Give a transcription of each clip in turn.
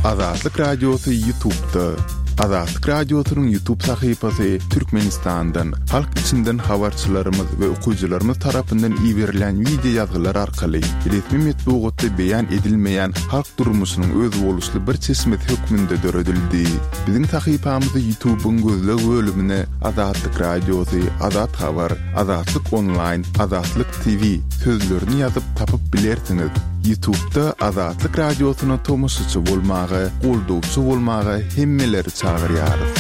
Azatlyk Radiosy Ýutubda. Azatlyk Radiosynyň Ýutub sahypasy Türkmenistandan, halk içinden habarçylarymyz we okyjylarymyz tarapyndan iberilýän wideo ýazgylar arkaly resmi metbugatda beýan edilmeýän halk durmuşynyň özboluşly bir çeşmesi hökmünde döredildi. Biziň sahypamyzy Ýutubyň gözleg bölümine Azatlyk Radiosy, Azat Habar, Azatlyk Onlaýn, Azatlyk TV sözlerini ýazyp tapyp bilersiňiz. Ýutubda Azatlyk Radiosyna tomaşaçy bolmaga, goldawçy bolmaga hemmeleri çagyrýarys.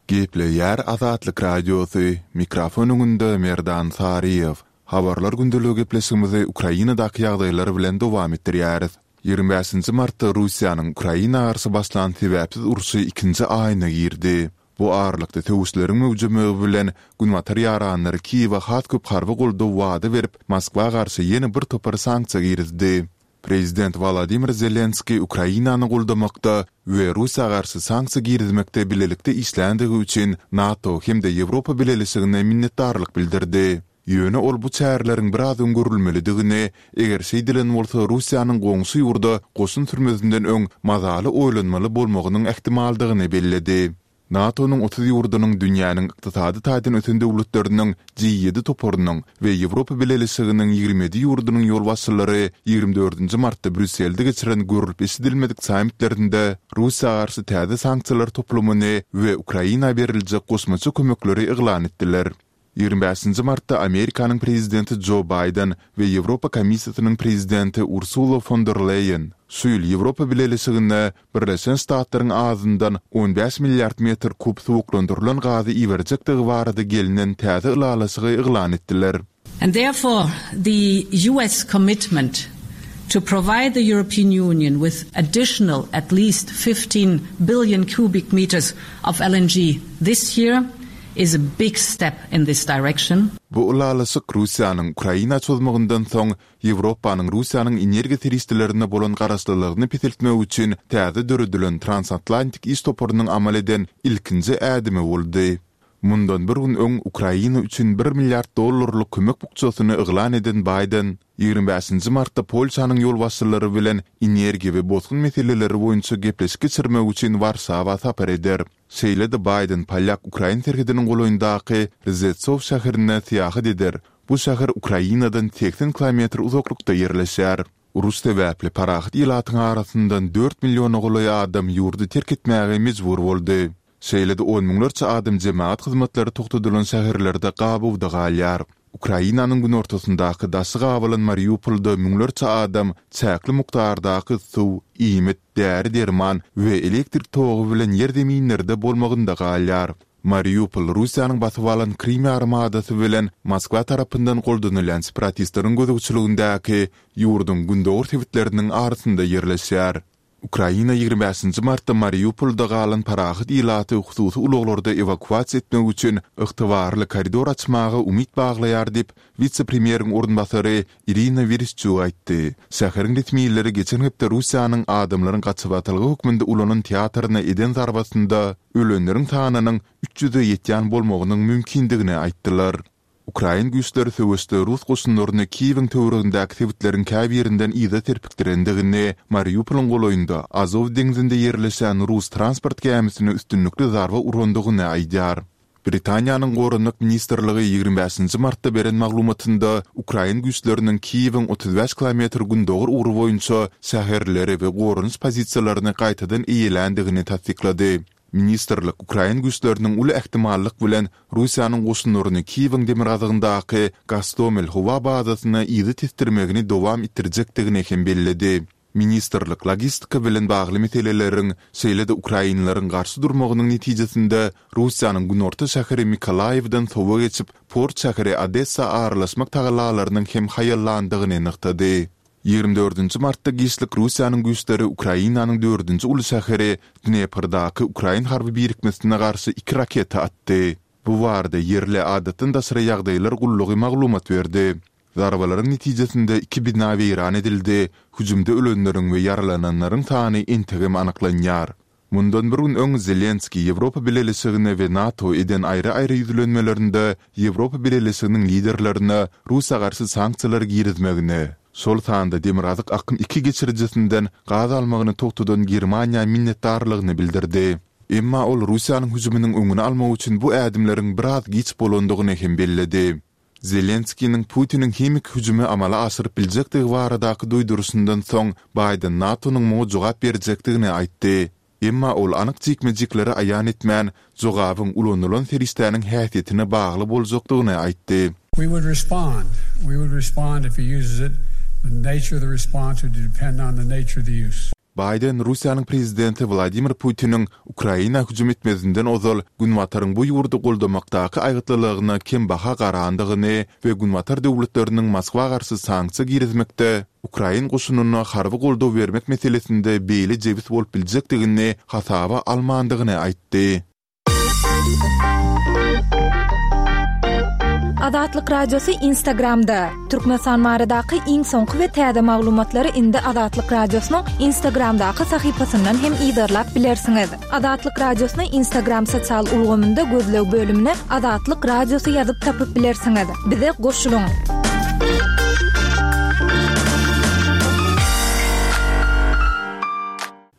Gepleýär Azatlyk Radiosy, mikrofon öňünde Merdan Saryýew. Habarlar gündeligi gepleşigimizi Ukrainadaky ýagdaýlar bilen dowam etdirýäris. 25-nji martda Russiýanyň Ukraina garşy başlan sebäpsiz urşy ikinji aýyna girdi. Bu aralykda söweşleriň möwjemegi bilen Günbatar ýaranlary Kiýewe has köp harby goldaw wada berip, Moskwa garşy ýene bir topar sanksiýa girizdi. Prezident Wolodymyr Zelenskiý Ukrainany goldamakda we Russiýa garşy sanksiýa girizmekde bilelikde işländigi üçin NATO hem-de Ýewropa Bileleşigine minnetdarlyk bildirdi. Ýöne ol bu çäreleriň biraz öň görülmelidigini, eger şeýdilen bolsa Russiýanyň goňşy ýurda goşun sürmezinden öň mazaly oýlanmaly bolmagynyň ähtimaldygyny belledi. NATO-nyň 30 ýurdunyň dünýäniň ykdysady taýdan ösen döwletleriniň G ýedi toparynyň we Ýewropa Bileleşiginiň 27 ýurdunyň ýolbaşçylary 24-nji martda Brýusselde geçiren görlüp-eşidilmedik sammitlerinde Russiýa garşy täze sanksiýalar toplumyny we Ukraina beriljek goşmaça kömekleri yglan etdiler. 25-nji martda Amerikanyň prezidenti Jo Baýden we Ýewropa Komissiýasynyň prezidenti Ursula fon der Leýen şu ýyl Ýewropa Bileleşigine Birleşen Ştatlaryň azyndan 15 milliard metr kub suwuklandyrylan gazy iberjekdigi barada gelnen täze ylalaşygy yglan etdiler. And therefore the US commitment to provide the European Union with additional at least 15 billion cubic meters of LNG this year is a big step in this direction. Bu ylalaşyk Russiýanyň Ukraina çozmagyndan soň Ýewropanyň Russiýanyň energiýa serişdelerine bolan garaşlylygyny peseltmek üçin täze döredilen Transatlantik iş toparynyň amal eden ilkinji ädimi boldy. Mundan bir gün öň Ukraina üçin bir milliard dollarlyk kömek bukjasyny yglan eden Baýden, 25-nji martda Polşanyň ýolbaşçylary bilen energiýa we bosgun meseleleri boýunça gepleşik geçirmek üçin Warşawa sapar eder. Şeýle-de Baýden polýak-ukrain serhediniň golaýyndaky Rzeçow şäherine syýahat eder, bu şäher Ukrainadan 80 kilometr uzaklykda ýerleşýär. Uruş sebäpli parahat ilatyň arasyndan dört milliona golaý adam ýurdy terk etmäge mejbur boldy. Şeýle-de on müňlerçe adam jemagat hyzmatlary togtadylan şäherlerde gabawda galýar. Ukrainanyň günortasyndaky daşy gabalan Mariupolda müňlerçe adam çäkli mukdardaky suw, iýmit, däri-derman we elektrik togy bilen ýer-zeminlerde bolmagynda galýar. Mariupol Russiýanyň basyp alan Krym ýarymadasy bilen Moskwa tarapyndan goldanylýan separatistleriň gözegçiligindäki ýurduň gündogar sebitleriniň arasynda ýerleşýär. Ukraina 25-nji martda Mariupolda galan parahat ilaty hususy ulaglarda ewakuasiýa etmek üçin ygtybarly koridor açmaga umyt baglaýar diýip, wise-premýeriň orunbasary Irina Wereşçuk aýtdy. Şäheriň resmileri geçen hepde Russiýanyň adamlaryň gaçybatalga hökmünde ulanan teatryna eden zarbasynda ölenleriň sanynyň 300-e ýetýän bolmagynyň mümkindigini aýtdylar. Ukrain güýçleri söweşde rus goşunlaryny Kiýewiň töweregindäki sebitleriň käbirinden yza serpikdirendigini, Mariupolyň golaýynda Azow deňzinde ýerleşen rus transport gämisine üstünlikli zarba urandygyny aýdýar. Britaniýanyň Goranmak ministrligi 25-nji martda beren maglumatynda ukrain güýçleriniň Kiýewiň 35 kilometr gündogar ugry boýunça şäherleri we goranyş pozisiýalaryny gaýtadan eýeländigini tassyklady. Ministrlik ukrain güýçleriniň uly ähtimallyk bilen Russiýanyň goşunlaryny Kiýewiň demirgazygyndaky Gostomel howa bazasyna yza tesdirmegini dowam etdirjekdigini hem belledi. Ministrlik logistika bilen bagly meseleleriň, şeýle-de ukrainleriň garşy durmagynyň netijesinde Russiýanyň günorta şäheri Mykolaýiwden sowa geçip, port şäheri Odessa aralaşmak tagallalarynyň hem haýallandygyny nygtady. 24-nji martda giçlik Russiýanyň güýçleri Ukrainanyň dördünji uly şäheri Dneprdaky ukrain harby birikmesine garşy iki raketa atdy. Bu barada ýerli Adatdan daşary ýagdaýlar gullugy maglumat berdi. Zarbalaryň netijesinde iki bina weýran edildi, hüjümde ölenleriň we ýaralananlaryň sany entegem anyklanýar. Mundan bir gün öň Zelenskiý Ýewropa Bileleşigine we NATO eden aýry-aýry ýüzlenmelerinde Ýewropa Bileleşiginiň liderlerine Russiýa garşy sanksiýalary girizmegini, şol sanda Demirgazyk akym iki geçirijisinden gaz almagyny togtadan Germaniýa minnetdarlygyny bildirdi. Emma ol Russiýanyň hüjüminiň öňüni almak üçin bu ädimleriň biraz giç bolandygyny hem belledi. Zelenskiniň Putiniň himiki hüjümi amala aşyryp biljekdigi baradaky duýduryşyndan soň, Baýden NATO-nyň muňa jogap berjekdigini aýtdy. Emma ol anyk jikme-jikleri aýan etmän, jogabyň ulanylan serişdäniň häsiýetine bagly boljakdygyny aýtdy. We would respond. We would respond if he uses it. The nature of the response would depend on the nature of the use. Baýden Russiýanyň prezidenti Wladimir Putiniň Ukraina hüjüm etmezinden ozal Günbataryň bu ýurdy goldamakdaky aýgytlylygyna kembaha garandygyny we Günbatar döwletleriniň Moskwa garşy sanksiýa girizmekde ukrain goşunyna harby goldaw bermek meselesinde beýle jebis bolup biljekdigini hasaba almandygyny aýtdy. Azatlyk Radiosy Instagramda, Türkmenistan baradaky iň soňky we täze maglumatlary indi Azatlyk Radiosynyň Instagramdaky sahypasyndan hem yzarlap bilersiňiz. Azatlyk Radiosyny Instagram sosial ulgamynda gözleg bölümine Azatlyk Radiosy ýazyp tapyp bilersiňiz. Bize goşulyň!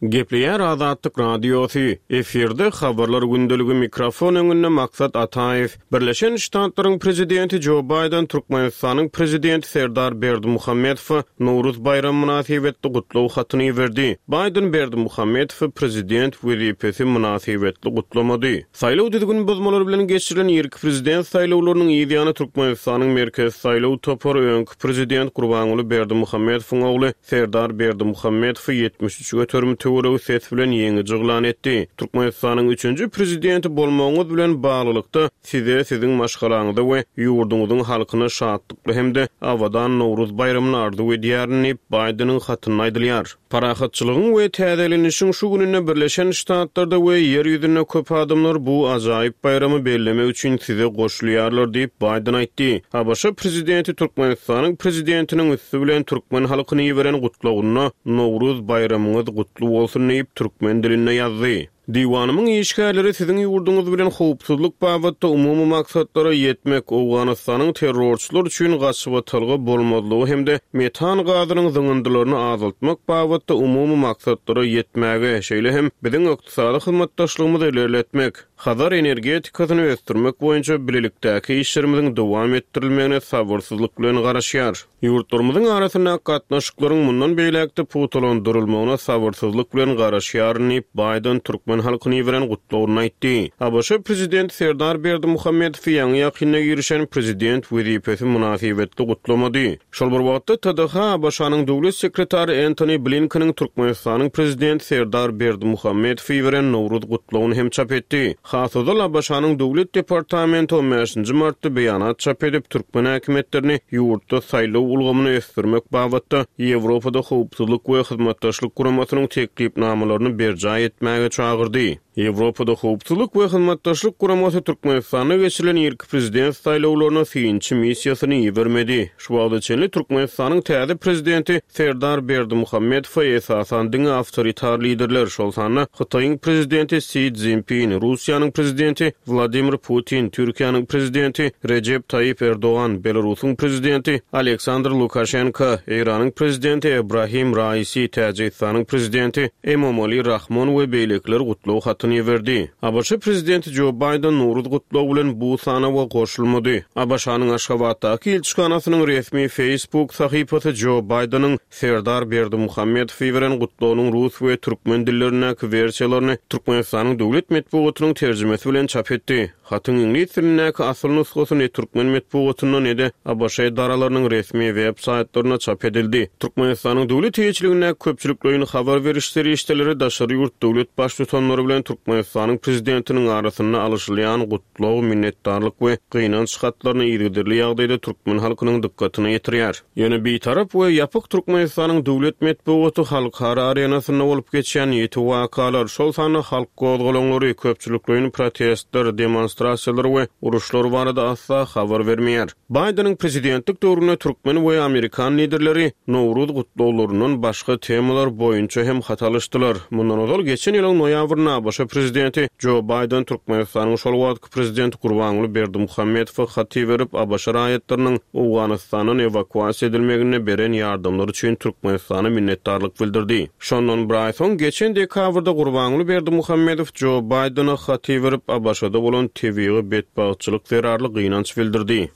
Gepleýär Azatlyk Radiosy, efirde Habarlar gündeligi mikrofon öňünde Maksat Ataýew. Birleşen Ştatlaryň Prezidenti Jo Baýden Türkmenistanyň Prezidenti Serdar Berdimuhamedowa Nowruz baýramy mynasybetli gutlag hatyny iberdi. Baýden Berdimuhamedowy prezident wezipesi mynasybetli gutlamady. Saýlaw düzgün bozmalary bilen geçirilen irki prezident saýlawlarynyň yz ýany Türkmenistanyň Merkezi saýlaw topary öňki prezident Gurbanguly Berdimuhamedowyň ogly Serdar Berdimuhamedowy 73 göterim töweregi ses bilen ýeňiji yglan etdi. Türkmenistanyň üçünji prezidenti bolmagyňyz bilen baglylykda, Size, Siziň maşgalaňyza we ýurduňyzyň halkyna şatlykly hem-de abadan Nowruz baýramyny arzuw edýärin diýip, Baýdeniň hatynda aýdylýar. Parahatçylygyň we täzelenişiň şu gününde Birleşen Ştatlarda we Ýer ýüzünde köp adamlar bu ajaýyp baýramy bellemek üçin size goşulýarlar diýip, Baýden aýtdy. ABŞ prezidenti Türkmenistanyň prezidentiniň üsti bilen türkmen halkyna iberen gutlagynda Nowruz baýramyňyz gutly bolsun diýip, türkmen dilinde ýazdy. Diwanymyň işgärleri siziň ýurduňyz bilen howpsuzlyk babatda umumy maksatlara ýetmek, Owganystanyň terrorçylar üçin gaçybatalga bolmazlygy hem-de metan gazynyň zyňyndylaryny azaltmak babatda umumy maksatlara ýetmäge, şeýle hem biziň ykdysady hyzmatdaşlygymyzy ilerletmek, Hazar energetikasyny ösdürmek boýunça bilelikdäki işlerimiziň dowam etdirilmegine sabyrsyzlyk bilen garaşýar. Ýurtlarymyzyň arasyndaky gatnaşyklaryň mundan beýläk-de pugtalandyrylmagyna sabyrsyzlyk bilen garaşýaryn diýip, Baýden türkmen halkyna iberen gutlagynda aýtdy. ABŞ prezidenti Serdar Berdimuhamedowy ýaňy-ýakynda girişen prezident wezipesi mynasybetli gutlamady. Şol bir wagtda, TDH ABŞ-nyň döwlet sekretary Entoni Blinkeniň Türkmenistanyň prezidenti Serdar Berdimuhamedowa iberen Nowruz gutlagyny hem çap etdi. Has ozal ABŞ-nyň Döwlet departamenti on bäşinji martda beýanat çap edip, türkmen häkimiýetlerini ýurtda saýlaw ulgamyny ösdürmek babatda Ýewropada Howpsuzlyk we Hyzmatdaşlyk Guramasynyň teklipnamalaryny berjaý etmäge çagyrdy. Ýewropada Howpsuzlyk we Hyzmatdaşlyk Guramasy Türkmenistanda geçirilen irki prezident saýlawlaryna synçy missiýasyny ibermedi. Şu wagta çenli Türkmenistanyň täze prezidenti Serdar Berdimuhamedowa esasan diňe awtoritar liderler, şol sanda Hytaýyň prezidenti Si Szinpin, Russiýanyň prezidenti Wladimir Putin, Türkiýäniň prezidenti Rejep Taýyp Erdogan, Belarusyň prezidenti Aleksandr Lukaşenko, Eýranyň prezidenti Ebrahim Raisi, Täjigistanyň prezidenti Emomali Rahmon we beýlekiler gutlag hatyny iberdi. ABŞ prezidenti Jo Baýden Nowruz gutlagy bilen bu sanawa goşulmady. ABŞ-nyň Aşgabatdaky ilçihanasynyň resmi Facebook sahypasy Jo Baýdeniň Serdar Berdimuhamedowa iberen gutlagynyň rus we türkmen dillerindäki wersiýalaryny Türkmenistanyň döwlet metbugatynyň terjimesi bilen çap etdi. Hatyň iňlis dilindäki asyl nusgasy ne türkmen metbugatynda, ne-de ABŞ edaralarynyň resmi web saýtlarynda çap edildi. Türkmenistanyň döwlet eýeçiligindäki köpçülikleýin habar beriş serişdeleri daşary ýurt döwlet Baştutanlary bilen Türkmenistanyň Prezidentiniň arasynda alyşylýan gutlag, minnetdarlyk we gynanç hatlaryny yzygiderli ýagdaýda türkmen halkynyň dykgatyna ýetirýär. Ýöne Bitarap we ýapyk Türkmenistanyň döwlet metbugaty halkara arenasynda bolup geçýän ýiti wakalar, şol sanda halk gozgalaňlary, köpçülikleýin protestler, demonstrasiýalar. demonstrasiýalar we uruşlar barada asla habar bermeýär. Baýdeniň prezidentlik döwründe türkmen we amerikan liderleri Nowruz gutlaglaryndan başga temalar boýunça hem hat alyşdylar. Mundan ozal, geçen ýylyň noýabrynda ABŞ prezidenti Jo Baýden Türkmenistanyň şol wagtky prezidenti Gurbanguly Berdimuhamedowa hat iberip, ABŞ raýatlarynyň Owganystandan ewakuasiýa edilmeginde beren ýardamlary üçin Türkmenistana minnetdarlyk bildirdi. Şondan bir aý soň, geçen dekabrda Gurbanguly Berdimuhamedow Jo Baýdene hat iberip, ABŞ-da bolan tebigy betbagtçylyk zerarly gynanç bildirdi.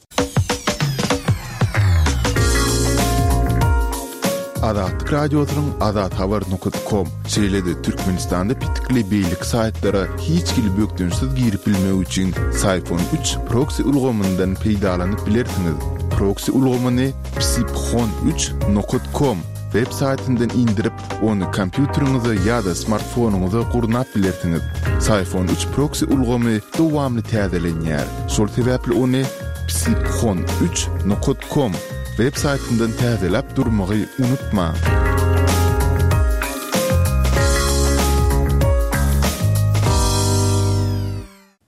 Azatlyk Radiosynyň azathabar nokat kom, şeýle-de Türkmenistanda petikli beýleki saýtlara hiç hili bökdençsiz girip bilmek üçin Syphon üç proksi ulgamyndan peýdalanyp bilersiňiz. Proksi ulgamyny psiphon üç nokat kom web saýtyndan indirip, ony kompýuteriňize ýa-da smartfonyňyza gurnap bilersiňiz. Syphon üç proksi ulgamy dowamly täzelenýär. Şol sebäpli ony psiphon üç nokat kom web saýtyndan täzeläp durmagy unutmaň.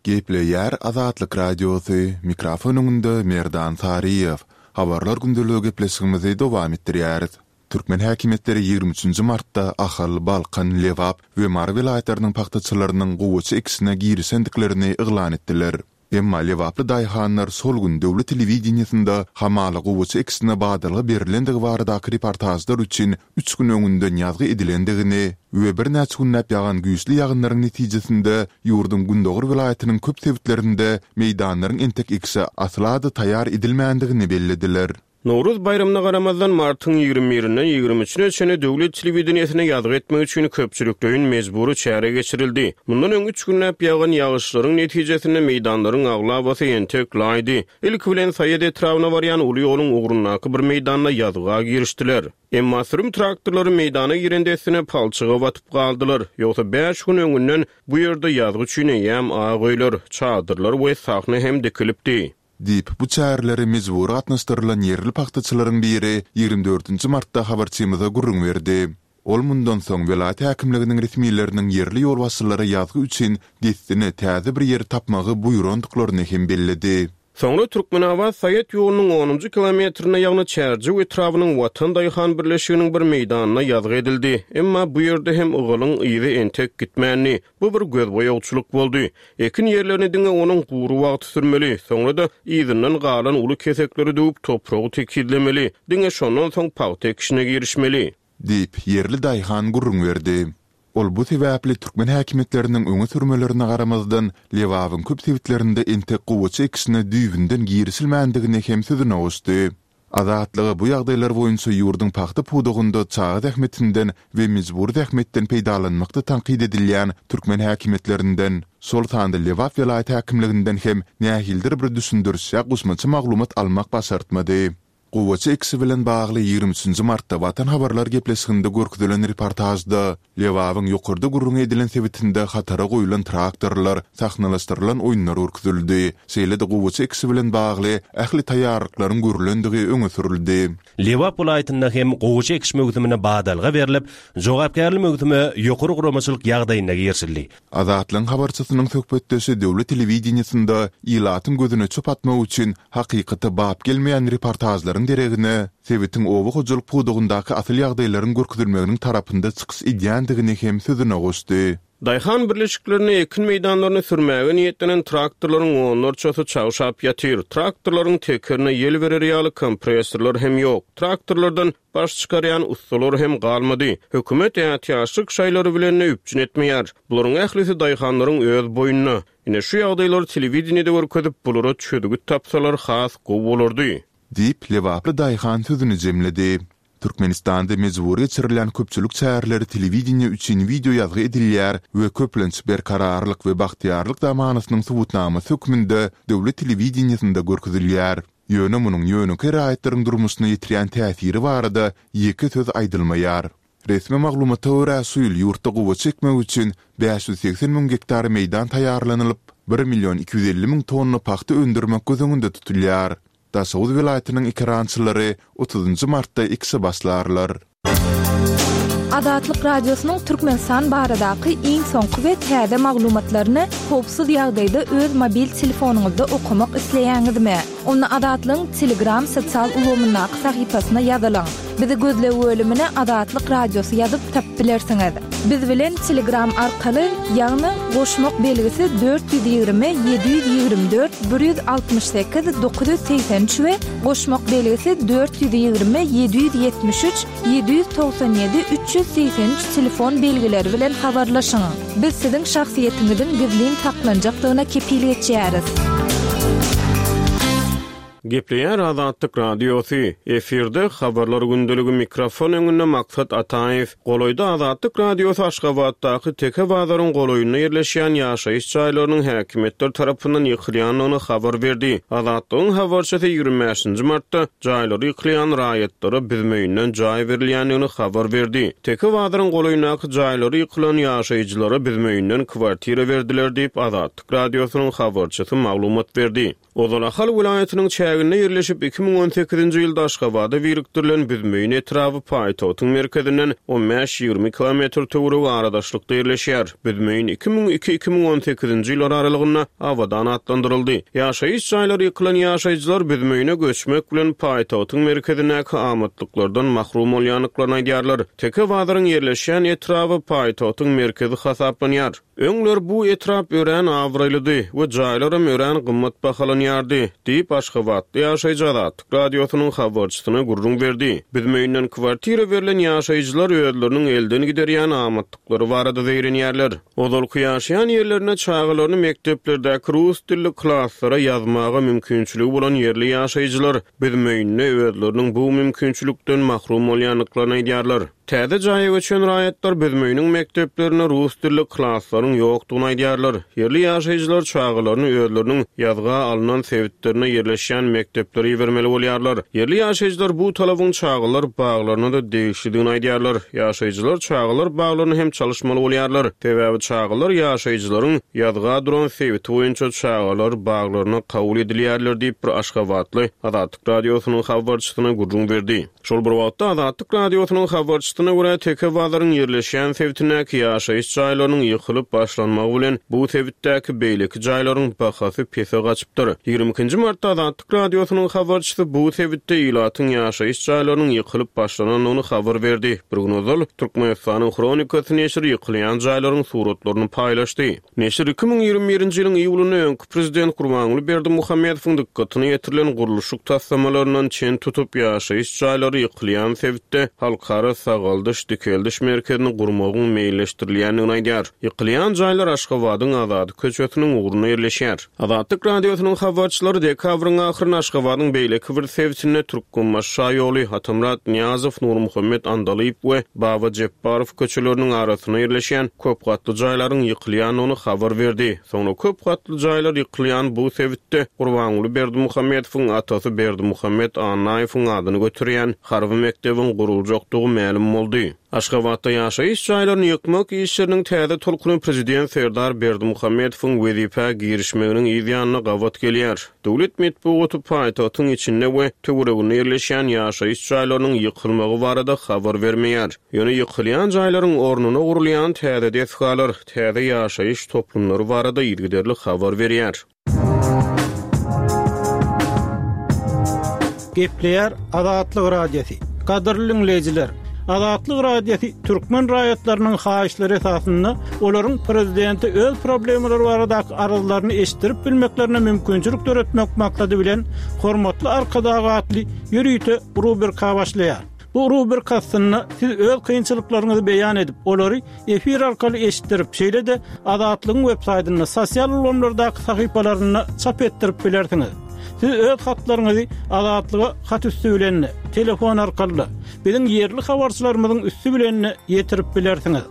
Gepleýär Azatlyk Radiosy, mikrofon öňünde Merdan Saryýew. Habarlar gündeligi gepleşigimizi dowam etdirýäris. Türkmen häkimiýetleri 23 nji martda Ahal, Balkan, Lebap we Mary welaýatlarynyň pagtaçylarynyň gowaça ekişine girişendiklerini yglan etdiler. Emma lebaply daýhanlar şol gün döwlet telewideniýesinde hamala gowaça ekişine badalga berlendigi baradaky reportažlar üçin üç gün öňünden ýazgy edilendigini we birnäçe günläp ýagan güýçli ýagynlaryň netijesinde ýurduň gündogar welaýatynyň köp sebitlerinde meýdanlaryň entek ekişe asla-da taýýar edilmändigini bellediler. Nowruz baýramyna garamazdan, martyň ýigrimi birinden ýigrimi üçüne çenli döwlet telewideniýesine ýazgy etmek üçin köpçülikleýin mejbury çäre geçirildi. Mundan öň üç günläp ýagan ýagyşlaryň netijesinde meýdanlaryň aglabasy entek laýdy. Ilki bilen Saýat etrabyna barýan uly ýoluň ugrundaky bir meýdanda ýazga girişdiler. Emma sürüm traktorlary meýdana giren dessine palçyga batyp galdylar. Ýogsa bäş gün öňünden bu ýerde ýazgy üçin eýýäm ak öýler, çadyrlar we sahna hem dikilipdi. Diýip, bu çärelere mejbury gatnaşdyrylan ýerli pagtaçylaryň biri ýigrimi dördünji martda habarçymyza gürrüň berdi. Ol mundan soň welaýat häkimliginiň resmileriniň ýerli ýolbaşçylara ýazgy üçin dessine täze bir ýeri tapmagy buýrandyklaryny hem belledi. Soňra Türkmenabat-Saýat ýolunyň onunjy kilometrinde, ýagny Çärjew etrabynyň Watan daýhan birleşiginiň bir meýdanynda ýazgy edildi. Emma bu ýerde hem ygalyň yzy entek gitmändi. Bu bir gözboýagçylyk boldy. Ekin ýerlerini diňe onuň gury wagty sürmeli, soňra-da yzyndan galan uly kesekleri döwüp, topragy tekizlemeli, diňe şondan soň pagta ekişine girişmeli. Diýip, ýerli daýhan gürrüň berdi. Ol bu sebäpli türkmen häkimiýetleriniň öňe sürmelerine garamazdan, Lebabyň köp sebitlerinde entek gowaça ekişine düýbünden girişilmändigini hem sözüne goşdy. Azatlyga bu ýagdaýlar boýunça ýurduň pagta pudagynda çaga zähmetinden we mejbury zähmetden peýdalanmakda tankyt edilýän türkmen häkimiýetlerinden, şol sanda Lebap welaýat häkimliginden hem nähilidir bir düşündiriş ýa goşmaça maglumat almak başartmady. Gowaça ekişi bilen bagly ýigrimi üçünji martda Watan habarlar gepleşiginde görkezilen reportažda Lebabyň ýokarda gürrüňi edilen sebitinde hatara goýlan traktorlar, sahnalaşdyrylan oýunlar görkezildi. Şeýle-de gowaça ekişi bilen bagly ähli taýýarlyklaryň görlendigi öňe sürüldi. Lebap welaýatynda hem gowaça ekiş möwsümine badalga berlip, jogapkärli möwsüme ýokary guramaçylyk ýagdaýynda girişildi. Azatlygyň habarçysynyň söhbetdeşi döwlet telewideniýesinde ilatyň gözüne çöp atmak üçin hakykata bap gelmeýän reportažlaryň deregine, sebitiň oba hojalyk pudagyndaky asyl ýagdaýlaryň görkezilmeginiň tarapynda çykyş edýändigini hem sözüne goşdy. Daýhan birleşiklerinde ekin meýdanlaryny sürmäge niýetlenen traktorlaryň onlarçasy çagşap ýatyr. Traktorlaryň tekerine ýel berer ýaly kompressorlar hem ýok. Traktorlardan Baş çykarýan ussalar hem galmady. Hökümet ätiýaçlyk şaýlary bilen-de üpjün etmeýär. Bularyň ählisi daýhanlaryň öz boýnuna. Ine, şu ýagdaýlary telewideniýede görkezip, bulara çözgüt tapsalar has gowy bolardy. Diýip, lebaply daýhan sözüni jemledi. Türkmenistanda mejbury geçirilýän köpçülik çäreleri telewideniýe üçin wideo ýazgy edilýär we köplenç Berkararlyk we bagtyýarlyk zamanasynyň subutnamasy hökmünde döwlet telewideniýesinde görkezilýär. Ýöne munuň ýönekeý raýatlaryň durmuşyna ýetirýän täsiri barada ýeke söz aýdylmaýar. Resmi maglumata görä, şu ýyl ýurtda gowaça ekmek üçin 580 müň gektar meýdan taýýarlanylyp, bir million 250 müň tonna pagta öndürmek göz öňünde tutulýar. Daşoguz welaýatynyň ekerançylary otuzynjy martda ekişe başlarlar. Azatlyk Radiosynyň Türkmenistan baradaky iň soňky we täze maglumatlaryny howpsuz ýagdaýda öz mobil telefonyňyzda okamak isleýäňizmi? Onda Azatlygyň Telegram sosial ulgamyndaky sahypasyna ýazylyň. Bizi gözleg bölümine Azatlyk Radiosy ýazyp tapyp bilersiňiz. Biz bilen Telegram arkaly, ýagny goşmak belgisi 420 724 168 983 we goşmak belgisi 420 773 797 383 telefon belgileri bilen habarlaşyň. Biz siziň şahsyýetiňiziň gizlin saklanjakdygyna kepil geçýäris. Gepleýär Azatlyk Radiosy, efirde Habarlar gündeligi mikrofon öňünde Maksat Ataýew. Golaýda Azatlyk Radiosy Aşgabatdaky Teke bazaryň golaýynda ýerleşýän ýaşaýyş jaýlarynyň häkimiýetler tarapyndan ýykylýandygyny habar berdi. Azatlygyň habarçysy 25 nji martda jaýlary ýykylýan raýatlara büzmeýinden jaý berilýändigini habar berdi. Teke bazaryň golaýyndaky jaýlary ýykylan ýaşaýjylara büzmeýinden kwartira berdiler diýip, Azatlyk Radiosynyň habarçysy maglumat berdi. Ozal Ahal welaýatynyň çäginde ýerleşip, 2018-nji ýylda Aşgabada birikdirilen Büzmeýin etraby paýtagtyň merkezinden on bäş-ýigrimi kilometr töweregi aradaşlykda ýerleşýär. Büzmeýin 2002, 2018-nji ýyllar aralygynda Abadan atlandyryldy. Ýaşaýyş jaýlary ýykylan ýaşaýjylar Büzmeýine göçmek bilen paýtagtyň merkezindäki amatlyklardan mahrum bolýandyklaryny aýdýarlar. Teke bazaryň ýerleşýän etraby paýtagtyň merkezi hasaplanýar. Öňler bu etrap örän abraýlydy we jaýlaram örän gymmat bahalanýardy, diýip, aşgabatly ýaşaýjy Azatlyk Radiosynyň habarçysyna gürrüň berdi. Büzmeýinden kwartira berlen ýaşaýjylar özleriniň elden giderýän amatlyklary barada zeýrenýärler. Ozalky ýaşaýan ýerlerinde çagalaryny mekdeplerdäki rus dilli klaslara ýazmaga mümkinçiligi bolan ýerli ýaşaýjylar Büzmeýinde özleriniň bu mümkinçilikden mahrum bolýandyklaryny aýdýarlar. Täze jaýa göçen raýatlar Büzmeýiniň mekdeplerinde rus dilli klaslaryň ýokdugyny aýdýarlar. Ýerli ýaşaýjylar çagalaryny özleriniň ýazga alnan sebitlerinde ýerleşýän mekdeplere ibermeli bolýarlar. Ýerli ýaşaýjylar bu talabyň çagalar baglaryna-da degişlidigini aýdýarlar. Ýaşaýjylar çagalar baglaryny hem çalyşmaly bolýarlar. Sebäbi çagalar ýaşaýjylaryň ýazga duran sebiti boýunça çagalar baglaryna kabul edilýärler diýip, bir aşgabatly Azatlyk Radiosynyň habarçysyna gürrüň berdi. Şol bir wagtda, Azatlyk Radiosynyň habarçysyna görä, Teke bazaryň ýerleşýän sebitindäki ýaşaýyş jaýlarynyň ýykylyp başlanmagy bilen, bu sebitdäki beýleki jaýlaryň bahasy pese gaçypdyr. Ýigrimi ikinji martda Azatlyk Radiosynyň habarçysy bu sebitde ilatyň ýaşaýyş jaýlarynyň ýykylyp başlanandygyny habar berdi. Bir gün ozal, Türkmenistanyň Hronikasy neşiri ýykylýan jaýlaryň suratlaryny paýlaşdy. Neşir 2021-nji ýylyň iýulynda öňki prezident Gurbanguly Berdimuhamedowyň dykgatyna ýetirilen gurluşyk taslamalaryndan çen tutup, ýaşaýyş jaýlary ýykylýan sebitde Halkara sagaldyş-dikeldiş merkezini gurmagyň meýilleşdirilýändigini aýdýar. Ýykylýan jaýlar Aşgabadyň Azady köçesiniň ugrunda ýerleşýär. Azatlyk Radiosynyň habarçylary dekabryň ahyrynda Aşgabadyň beýleki bir sebitinde Türkmenbaşy şaýoly, Atamyrat Nyýazow, Nurmuhammet Andalyp we Baba Jepbarow köçeleriniň arasynda ýerleşýän köp gatly jaýlaryň ýykylýandygyny habar berdi. Soňra köp gatly jaýlar ýykylýan bu sebitde Gurbanguly Berdimuhamedowyň atasy Berdimuhamet Annaýewiň adyny göterýän harby mekdebiň guruljakdygy mälim boldy. Aşgabatda ýaşaýyş jaýlaryny ýykmak işleriniň täze tolkuny prezident Serdar Berdimuhamedowyň wezipä girişmeginiň yz ýanyna gabat gelýär. Döwlet metbugaty paýtagtyň içinde we töwereginde ýerleşýän ýaşaýyş jaýlarynyň ýykylmagy barada habar bermeýär. Ýöne ýykylýan jaýlaryň ornuna gurulýan täze desgalar, täze ýaşaýyş toplumlary barada yzygiderli habar berýär. Gepleýär Azatlyk Radiosy. Gadyrly diňleýjiler! Azatlyk Radiosy türkmen raýatlarynyň haýyşlary esasynda olaryň prezidente öz problemalary baradaky arzlaryny eşitdirip bilmeklerine mümkinçilik döretmek maksady bilen Hormatly Arkadag atly ýörite rubrika başlaýar. Bu rubrika astynda siz öz kynçylyklaryňyzy beýan edip, olary efir arkaly eşitdirip, şeýle-de Azatlygyň websaýtynda, sosial ulgamlardaky sahypalarynda çap etdirip bilersiňiz. Siz öz hatlaryňyzy Azatlyga hat üsti bilen-de, telefon arkaly-da, biziň ýerli habarçylarymyzyň üsti bilen-de ýetirip bilersiňiz.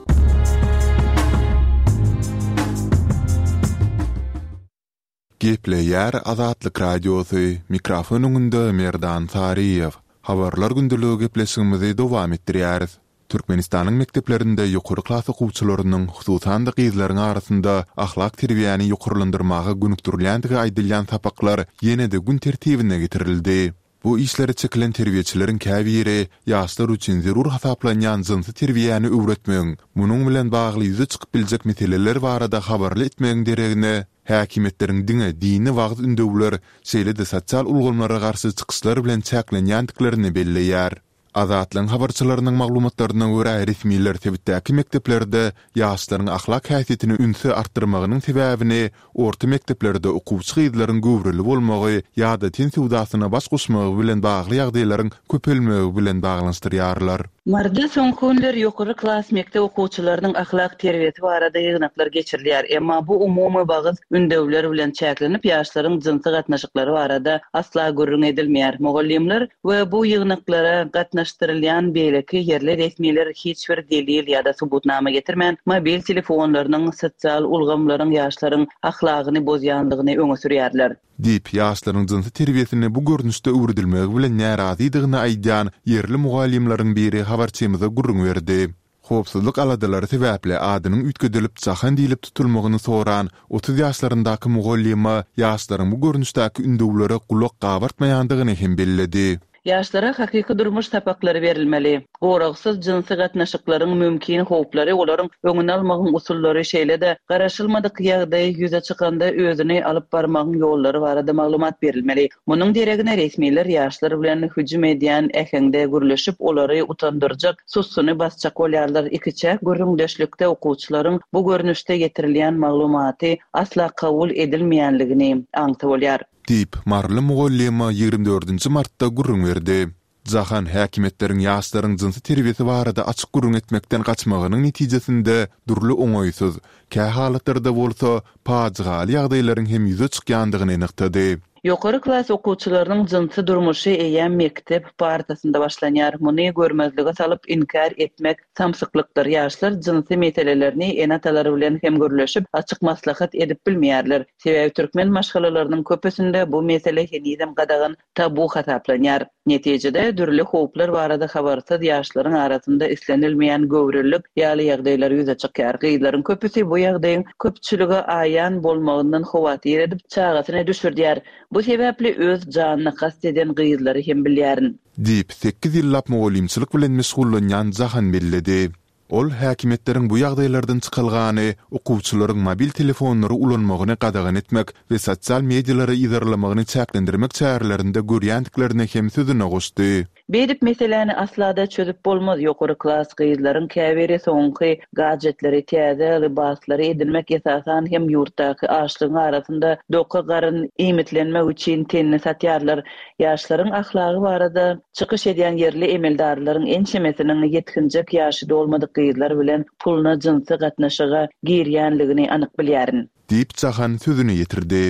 Gepleýär Azatlyk Radiosy, mikrofon öňünde Merdan Saryýew. Habarlar gündeligi gepleşigimizi dowam etdirýäris. Türkmenistanyň mekdeplerinde ýokary klas okuwçylarynyň, hususan-da gyzlaryň arasynda ahlak terbiýäni ýokarlandyrmaga gönükdirilýändigi aýdylýan sapaklar ýene-de gün tertibine getirildi. Bu işlere çekilen terbiýeçileriň käbiri ýaşlar üçin zerur hasaplanýan jynsy terbiýäni öwretmegiň, munuň bilen bagly ýüze çykyp biljek meseleler barada habarly etmegiň deregine, häkimiýetleriň diňe dini wagyz-ündewler, şeýle-de sosial ulgamlara garşy çykyşlar bilen çäklenýändiklerini belleýär. Azatlygyň habarçylarynyň maglumatlaryna görä, resmiler sebitdäki mekdeplerde ýaşlaryň ahlak häsiýetine ünsi artdyrmagynyň sebäbini orta mekdeplerde okuwçy gyzlaryň göwreli bolmagy ýa-da ten söwdasyna baş goşmagy bilen bagly ýagdaýlaryň köpelmegi bilen baglanyşdyrýarlar. Maryda soňky günler ýokary klas mekdep okuwçylarynyň ahlak terbiýesi barada ýygnaklar geçirilýär. Emma bu umumy wagyz ündewler bilen çäklenip, ýaşlaryň jynsy gatnaşyklary barada asla gürrüň edilmeýär. Mugallymlar we bu ýygnaklara gatnaşdyrylýan beýleki ýerli resmiler hiç bir delil ýa-da subutnama getirmän, mobil telefonlarynyň, sosial ulgamlaryň ýaşlaryň ahlagyny bozýandygyny öňe sürýärler. Diýip, ýaşlaryň jynsy terbiýesini bu görnüşde öwredilmegi bilen närazydygyny aýdýan ýerli mugallymlaryň biri habarçymyza gürrüň berdi. Howpsuzlyk aladalary sebäpli adynyň üýtgedilip Jahan diýlip tutulmagyny soran 30 ýaşlaryndaky mugallyma ýaşlaryň bu görnüşdäki ündewlere gulak gabartmaýandygyny hem belledi. Ýaşlara hakyky durmuş sapaklary berilmeli. Goragsyz jynsy gatnaşyklaryň mümkin howplary, olaryň öňüni almagyň usullary, şeýle-de garaşylmadyk ýagdaý ýüze çykanda özüni alyp barmagyň ýollary barada maglumat berilmeli. Munuň deregine resmiler ýaşlar bilen hüjüm edýän äheňde gürleşip, olary utandyrjak sussuny basjak bolýarlar. Ikiçäk gürrüňdeşlikde okuwçylaryň bu görnüşde ýetirilýän maglumaty asla kabul edilmeýänligini aňsa bolýar. Diýip, maryly mugallyma 24 dördünji martda gürrüň berdi. Jahan häkimiýetleriň ýaşlaryň jynsy terbiýesi barada açyk gürrüň etmekden gaçmagynyň netijesinde dürli oňaýsyz, kähalatlarda bolsa pajygaly ýagdaýlaryň hem ýüze çykýandygyny nygtady. Ýokary klas okuwçylarynyň jynsy durmuşy eýýäm mekdep partasynda başlanýar. Muny görmezlige salyp, inkär etmek samsyklykdyr. Ýaşlar jynsy meselelerini ene-atalary bilen hem gürleşip, açyk maslahat edip bilmeýärler. Sebäbi türkmen maşgalalarynyň köpüsinde bu mesele henizem gadagan, tabu hasaplanýar. Netijede, dürli howplar barada habarsyz ýaşlaryň arasynda islenilmeýän göwrelilik ýaly ýagdaýlar ýüze çykýar. Gyzlaryň köpüsi bu ýagdaýyň köpçülige aýan bolmagyndan howatyr edip, çagasyny düşürdýär. Bu sebäpli öz janyna kast eden gyzlary hem bilýärin. Diýip, sekiz ýyllap mugallymçylyk bilen meşgullanýan Jahan belledi. Ol häkimiýetleriň bu ýagdaýlardan çykalgany okuwçylaryň mobil telefonlary ulanmagyny gadagan etmek we sosial medialary yzarlamagyny çäklendirmek çärelerinde görýändiklerini hem sözüne goşdy. Beýdip meseläni aslada çözüp bolmaz ýokary klas gyzlaryň käbiri soňky gadjetleri täze lybaslary edinmek esasan hem ýurtdaky açlygyň arasynda doka garyn iýmitlenmek üçin tenini satýarlar Ýaşlaryň ahlagy barada çykyş edýän ýerli emeldarlaryň ençemesiniň ýetginjek ýaşy dolmadyk gyzlar bilen puluna jynsy gatnaşyga girýänligini anyk bilýärin. Diýip, Jahan sözüni ýetirdi.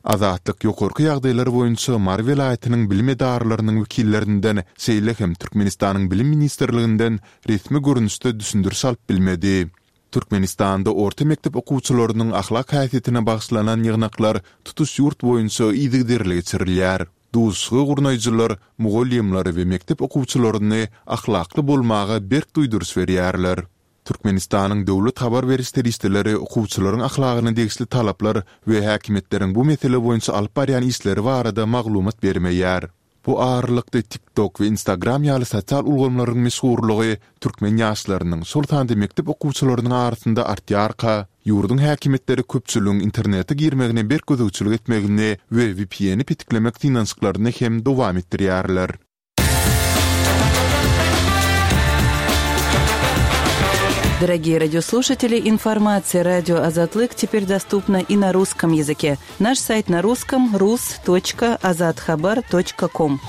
Azatlyk ýokarky ýagdaýlar boýunça Mary welaýatynyň bilim edaralarynyň wekillerinden, şeýle hem Türkmenistanyň Bilim ministrliginden resmi görnüşde düşündiriş alyp bilmedi. Türkmenistanda orta mekdep okuwçylarynyň ahlak häsiýetine bagyşlanan ýygnaklar tutuş ýurt boýunça yzygiderli geçirilýär. Duşuşygy gurnaýjylar mugallymlary we mekdep okuwçylaryny ahlakly bolmaga berk duýduryş berýärler. Türkmenistanyň döwlet habar beriş serişdeleri okuwçylaryň ahlagyna degişli talaplar we häkimiýetleriň bu mesele boýunça alyp barýan işleri barada maglumat bermeýär. Bu aralykda TikTok we Instagram ýaly sosial ulgamlaryň meşhurlygy türkmen ýaşlarynyň, şol sanda mekdep okuwçylarynyň arasynda artýarka, ýurduň häkimiýetleri köpçüligiň internete girmegine berk gözegçilik etmegini we VPN-i petiklemek synanyşyklaryny hem dowam etdirýärler. Дорогие радиослушатели, информация радио Азатлык теперь доступна и на русском языке. Наш сайт на русском rus.azathabar.com.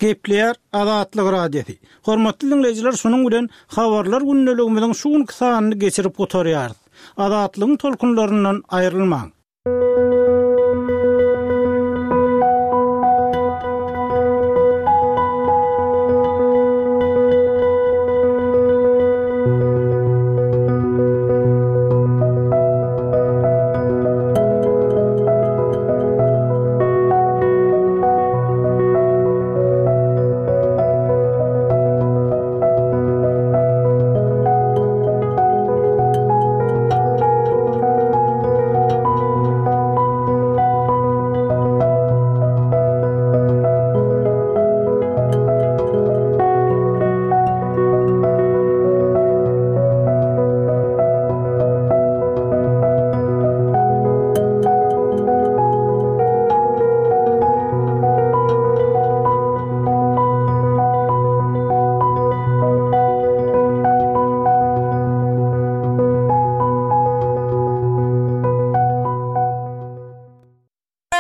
Gepleýär Azatlyk Radiosy. Hormatly diňleýjiler, şunuň bilen Habarlar gündeligimiziň şu günki sanyny geçirip gutarýarys. Azatlygyň tolkunlaryndan aýrylmaň!